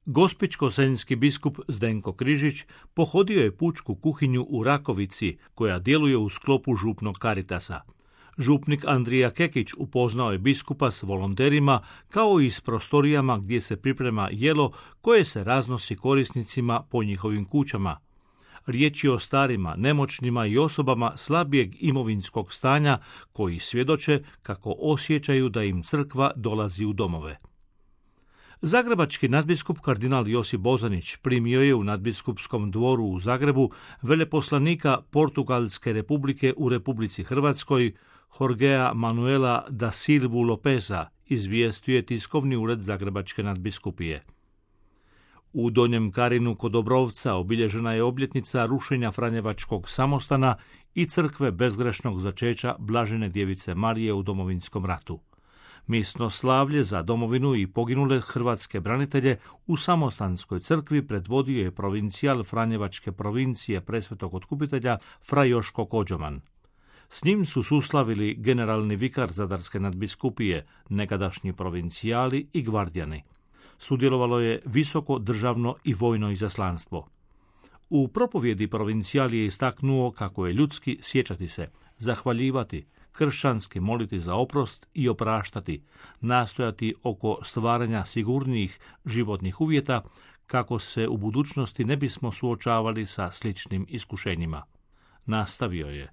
Gospićko-senjski biskup Zdenko Križić pohodio je pučku kuhinju u Rakovici, koja djeluje u sklopu župnog Karitasa. Župnik Andrija Kekić upoznao je biskupa s volonterima, kao i s prostorijama gdje se priprema jelo koje se raznosi korisnicima po njihovim kućama. Riječ je o starima, nemoćnima i osobama slabijeg imovinskog stanja koji svjedoče kako osjećaju da im crkva dolazi u domove. Zagrebački nadbiskup kardinal Josip Bozanić primio je u nadbiskupskom dvoru u Zagrebu veleposlanika Portugalske republike u Republici Hrvatskoj Jorgea Manuela da Silvu Lopeza, izvijestio je tiskovni ured Zagrebačke nadbiskupije. U Donjem Karinu kod Obrovca obilježena je obljetnica rušenja Franjevačkog samostana i crkve bezgrešnog začeća Blažene djevice Marije u Domovinskom ratu. Misno slavlje za domovinu i poginule hrvatske branitelje u Samostanskoj crkvi predvodio je provincijal Franjevačke provincije Presvetog Otkupitelja fra Joško Kođoman. S njim su suslavili generalni vikar Zadarske nadbiskupije, nekadašnji provincijali i gvardijani. Sudjelovalo je visoko državno i vojno izaslanstvo. U propovjedi provincijal je istaknuo kako je ljudski sjećati se, zahvaljivati, kršćanski moliti za oprost i opraštati, nastojati oko stvaranja sigurnijih životnih uvjeta kako se u budućnosti ne bismo suočavali sa sličnim iskušenjima. Nastavio je: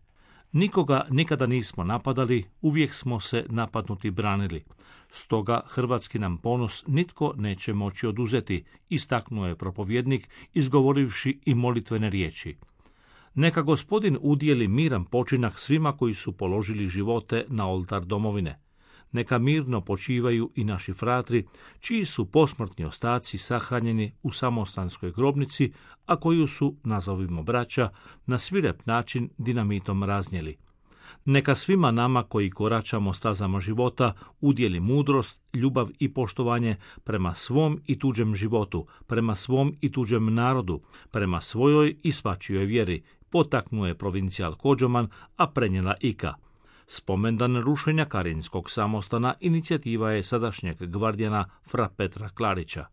nikoga nikada nismo napadali, uvijek smo se napadnuti branili. Stoga hrvatski nam ponos nitko neće moći oduzeti, istaknuo je propovjednik, izgovorivši i molitvene riječi. Neka Gospodin udijeli miran počinak svima koji su položili živote na oltar domovine. Neka mirno počivaju i naši fratri, čiji su posmrtni ostaci sahranjeni u Samostanskoj grobnici, a koju su, nazovimo braća, na svirep način dinamitom raznijeli. Neka svima nama koji koračamo stazama života udjeli mudrost, ljubav i poštovanje prema svom i tuđem životu, prema svom i tuđem narodu, prema svojoj i svačijoj vjeri, potaknuo je provincijal Kođoman, a prenijela Ika. Spomendan rušenja Karinskog samostana inicijativa je sadašnjeg gvardijana fra Petra Klarića.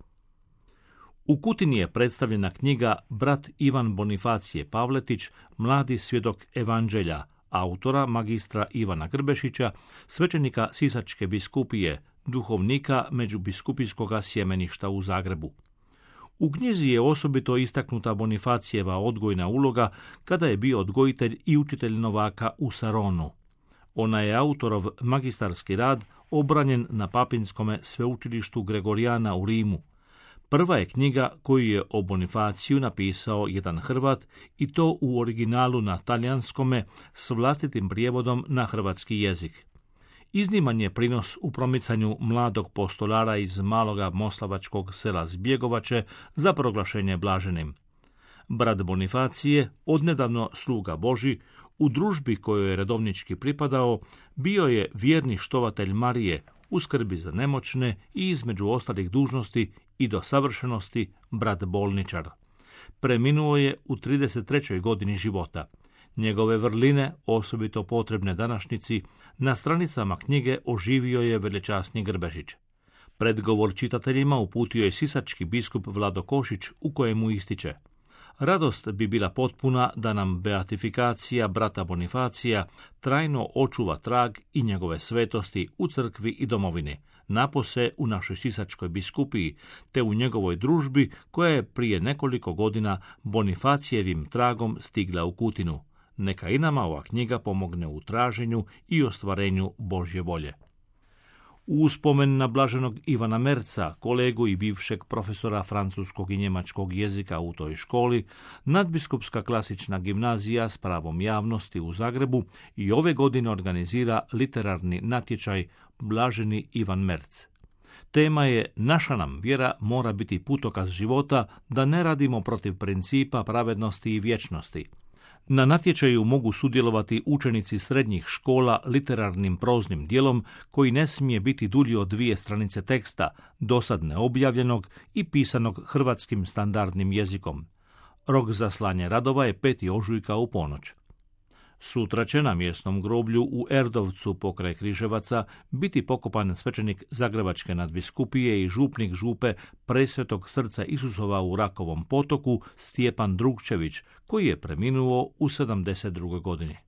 U Kutini je predstavljena knjiga Brat Ivan Bonifacije Pavletić, mladi svjedok evanđelja, autora magistra Ivana Grbešića, svećenika Sisačke biskupije, duhovnika Međubiskupijskoga sjemeništa u Zagrebu. U knjizi je osobito istaknuta Bonifacijeva odgojna uloga kada je bio odgojitelj i učitelj novaka u Saronu. Ona je autorov magistarski rad obranjen na Papinskome sveučilištu Gregorijana u Rimu. Prva je knjiga koju je o Bonifaciju napisao jedan Hrvat, i to u originalu na talijanskome s vlastitim prijevodom na hrvatski jezik. Izniman je prinos u promicanju mladog postolara iz maloga moslavačkog sela Zbjegovače za proglašenje blaženim. Brat Bonifacije, odnedavno sluga Božji, u družbi kojoj je redovnički pripadao, bio je vjerni štovatelj Marije, u skrbi za nemoćne i između ostalih dužnosti i do savršenosti brat bolničar. Preminuo je u 33. godini života. Njegove vrline, osobito potrebne današnjici, na stranicama knjige oživio je velečasni Grbešić. Predgovor čitateljima uputio je sisački biskup Vlado Košić, u kojemu ističe: radost bi bila potpuna da nam beatifikacija brata Bonifacija trajno očuva trag i njegove svetosti u crkvi i domovini, napose u našoj sisačkoj biskupiji, te u njegovoj družbi koja je prije nekoliko godina Bonifacijevim tragom stigla u Kutinu. Neka i nama ova knjiga pomogne u traženju i ostvarenju Božje volje. U uspomen na blaženog Ivana Merca, kolegu i bivšeg profesora francuskog i njemačkog jezika u toj školi, nadbiskupska klasična gimnazija s pravom javnosti u Zagrebu i ove godine organizira literarni natječaj Blaženi Ivan Merc. Tema je: naša nam vjera mora biti putokaz života, da ne radimo protiv principa pravednosti i vječnosti. Na natječaju mogu sudjelovati učenici srednjih škola literarnim proznim dijelom koji ne smije biti dulji od 2 stranice teksta, dosad neobjavljenog i pisanog hrvatskim standardnim jezikom. Rok za slanje radova je 5. ožujka u ponoć. Sutra će na mjesnom groblju u Erdovcu pokraj Križevaca biti pokopan svećenik Zagrebačke nadbiskupije i župnik župe Presvetog srca Isusova u Rakovom Potoku Stjepan Drugčević, koji je preminuo u 72. godini.